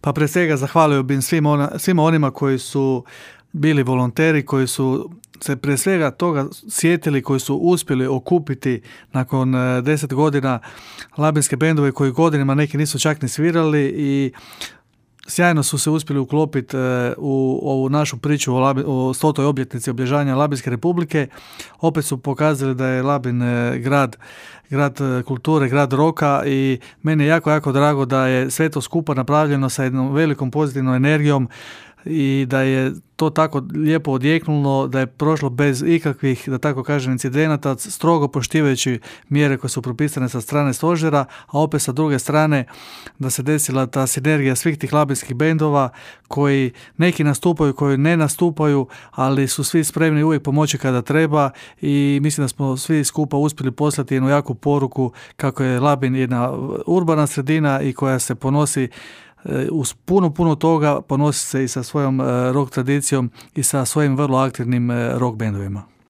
Pa prije svega zahvalio bih svima onima koji su bili volonteri, koji su se prije svega toga sjetili, koji su uspjeli okupiti nakon 10 godina labinske bendove koji godinama neki nisu čak ni svirali i sjajno su se uspjeli uklopiti u ovu našu priču o 100. obljetnici obilježavanja Labinske republike. Opet su pokazali da je Labin grad kulture, grad roka i meni je jako, jako drago da je sve to skupa napravljeno sa jednom velikom pozitivnom energijom i da je to tako lijepo odjeknulo, da je prošlo bez ikakvih, da tako kažem, incidenata, strogo poštivajući mjere koje su propisane sa strane stožera, a opet sa druge strane da se desila ta sinergija svih tih labinskih bendova koji neki nastupaju, koji ne nastupaju, ali su svi spremni uvijek pomoći kada treba i mislim da smo svi skupa uspjeli poslati jednu jaku poruku kako je Labin jedna urbana sredina i koja se ponosi uz puno toga, ponosi se i sa svojom rock tradicijom i sa svojim vrlo aktivnim rock bendovima.